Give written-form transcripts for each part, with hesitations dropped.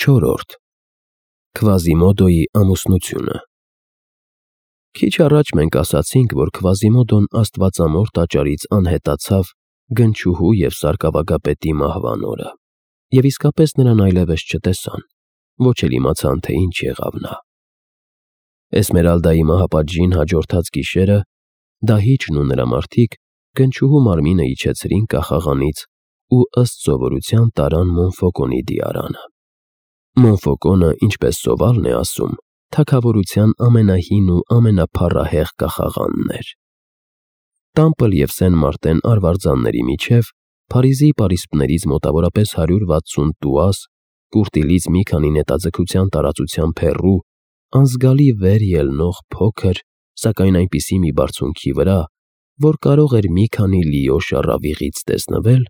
4. Քվազիմոդոյի ամուսնությունը։ Քիչ առաջ մենք ասացինք, որ Քվազիմոդոն աստվածամոր տաճարից անհետացավ գնչուհու և սարկավագապետի մահվան օրը, և իսկապես նրան այլևս չտեսան, ոչ էլ իմացան, թե ինչ եղավ նա։ Էսմերալդայի մահապատժին հաջորդած գիշերը դահիճն ու նրա մարդիկ գնչուհու մարմինը իջեցրին կախաղանից ու ըստ սովորության տարան Մոնֆոկոնի դիարանը։ Մոնֆոկոնը, ինչպես սովալն է ասում, թագավորության ամենահին ու ամենափառահեղ կախաղանն էր։ Տամպլ և Սեն Մարտեն արվարձանների միջև Փարիզի պարիսպներից մոտավորապես 160 տուաս, կուրտիլից մի քանի նետաձգության տարածությամբ հեռու, անզգալի վեր ելնող փոքր, սակայն այնպիսի մի բարձունքի վրա, որ կարող էր մի քանի լիո շառավիղից տեսնվել,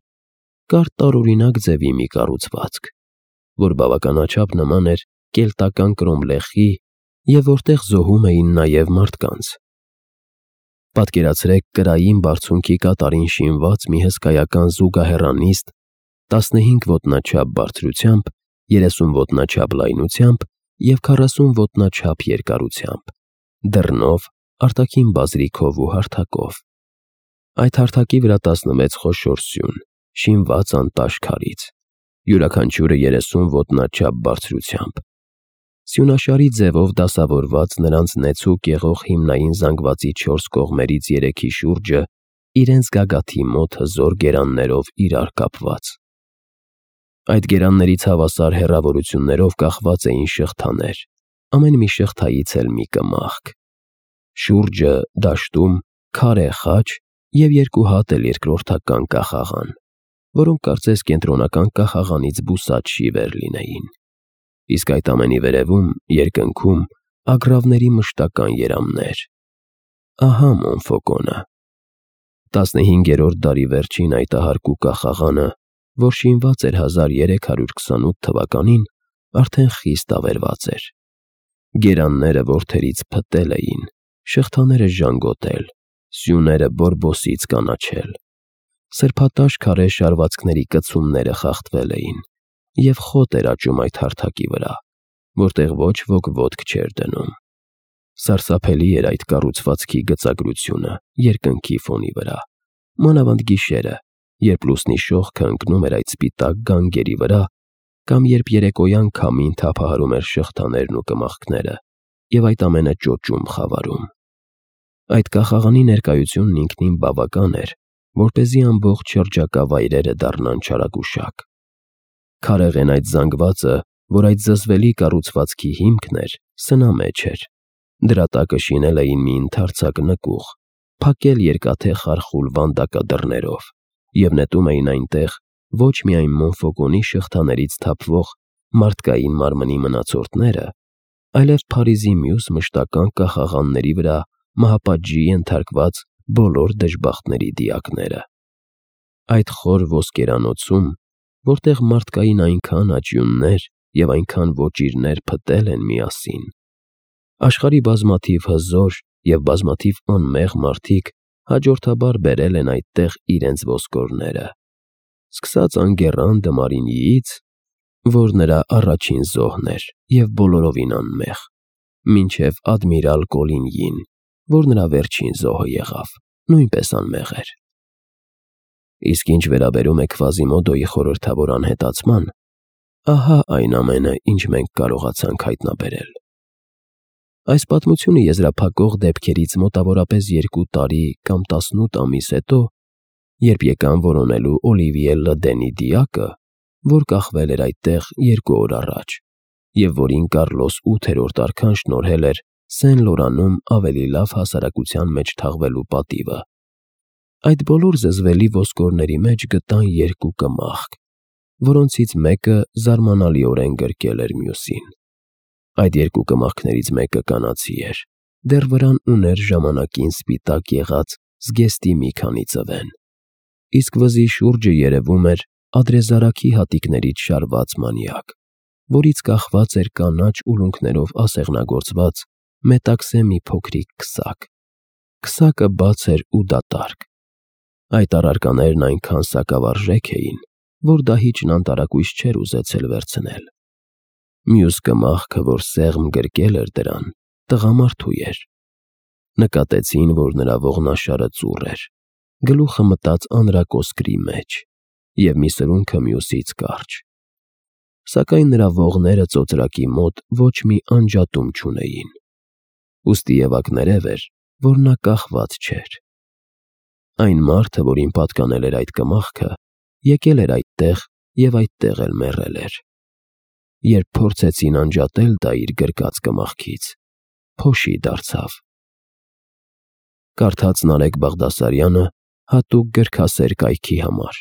կար տարօրինակ ձևի մի կառուցվածք, որ բավականաչափ նման էր կելտական կրոմլեխի և որտեղ զոհում էին նաև մարդկանց։ Պատկերացրեք կրային բարձունքի կատարին շինված մի հսկայական զուգահեռանիստ 15 ոտնաչափ բարձրությամբ, 30 ոտնաչափ լայնությամբ և 40 ոտնաչափ երկարությամբ, դռնով, արտաքին բազրիքով ու հարթակով։ Այդ հարթակի վրա 16 խոշոր սյուն, շինված անտաշ քարից, յուրաքանչյուրը 30 ոտնաչափ բարձրությամբ։ Սյունաշարի ձևով դասավորված նրանց նեցուկ եղող հիմնային զանգվածի 4 կողմերից 3-ի շուրջը իրենց գագաթի մոտ հզոր գերաններով իրար կապված։ Այդ գերաններից հավասար հեռավորություններով կախված էին շղթաներ, ամեն մի շղթայից էլ մի կմախք։ Շուրջը, դաշտում, քարե խաչ և 2 հատ էլ երկրորդական կախաղան, որոնք կարծես կենտրոնական կախաղանից բուսած շիվեր լինեին։ Իսկ այդ ամենի վերևում, երկնքում, ագռավների մշտական երամներ։ Ահա Մոնֆոկոնը։ 15-րդ դարի վերջին այտահարկու կախաղանը, որ շինված էր 1328 թվականին, արդեն խիստ ավերված էր։ Գերանները որդերից փտել էին, շղթաները ժանգոտել, սյուները բորբոսից կանաչել։ Սրբատաշ քարե շարվածքների կցումները խախտվել էին, և խոտ էր աճում այդ հարթակի վրա, որտեղ ոչ ոք ոտք չէր դնում։ Սարսափելի էր այդ կառուցվածքի գծագրությունը երկնքի ֆոնի վրա, մանավանդ գիշերը, երբ լուսնի շողքը ընկնում էր այդ սպիտակ գանգերի վրա, կամ երբ երեկոյան քամին թափահարում էր շղթաներն ու կմախքները և այդ ամենը ճոճում խավարում։ Այդ կախաղանի ներկայությունն ինքնին բավական էր, որպեսզի ամբողջ շրջակա վայրերը դառնան չարագուշակ։ Քարեղեն այդ զանգվածը, որ այդ զզվելի կառուցվածքի հիմքն էր, սնամեջ էր։ Դրա տակը շինել էին մի ընդարձակ նկուղ, փակել երկաթե խարխուլ վանդակադռներով և նետում էին այնտեղ ոչ միայն Մոնֆոկոնի շղթաներից թափվող մարդկային մարմնի մնացորդները, այլև Փարիզի մյուս մշտական կախաղանների վրա մահապատժի ենթարկված բոլոր դժբախտների դիակները։ Այդ խոր ոսկերանոցում, որտեղ մարդկային այնքան աճյուններ և այնքան ոճիրներ փտել են միասին, աշխարհի բազմաթիվ հզոր և բազմաթիվ անմեղ մարդիկ հաջորդաբար բերել են այդտեղ իրենց ոսկորները, սկսած Անգեռան դը Մարինյիից, որ նրա առաջին զոհն էր և բոլորովին անմեղ, մինչև ադմիրալ Կոլինյին, որ նրա վերջին զոհը եղավ, նույնպես անմեղ էր։ Իսկ ինչ վերաբերում է Քվազիմոդոյի խորհրդավոր անհետացման, ահա այն ամենը, ինչ մենք կարողացանք հայտնաբերել։ Այս պատմությունը եզրափակող դեպքերից մոտավորապես 2 տարի կամ 18 ամիս հետո, երբ եկան որոնելու Օլիվիե Լդենի դիակը, որ կախվել էր այդտեղ 2 օր առաջ, և որին Կարլոս 8-րդ արքան շնորհել էր Սեն Լորանում ավելի լավ հասարակության մեջ թաղվելու պատիվը, այդ բոլոր զզվելի ոսկորների մեջ գտան 2 կմախք, որոնցից մեկը զարմանալիորեն գրկել էր մյուսին։ Այդ 2 կմախքներից մեկը կանացի էր, դեռ վրան ուներ ժամանակին սպիտակ եղած զգեստի մի քանի ծվեն, իսկ վզի շուրջը երևում էր ադրեզարակի հատիկներից շարված մանյակ, որից կախված էր կանաչ ուլունքներով ասեղնագործված մետաքսե մի փոքրիկ քսակ։ Քսակը բաց էր ու դատարկ։ Այդ առարկաներն այնքան սակավարժեք էին, որ դահիճն անտարակույս չէր ուզեցել վերցնել։ Մյուս կմախքը, որ սեղմ գրկել էր դրան, տղամարդու էր։ Նկատեցին, որ նրա ողնաշարը ծուռ էր, գլուխը մտած անրակոսկրի մեջ, և մի սրունքը մյուսից կարճ։ Սակայն նրա ողները ծոծրակի մոտ ոչ մի անջատում չունեին, ուստի Եվակներև էր, որ նա կախված չէր։ Այն մարդը, որին պատկանել էր այդ կմախքը, եկել էր այդտեղ և այդտեղ էլ մեռել էր։ Երբ փորձեցին անջատել դա իր գրկած կմախքից, փոշի դարձավ։ Կարդաց Նարեկ Բաղդասարյանը հատուկ գրքասեր կայքի համար։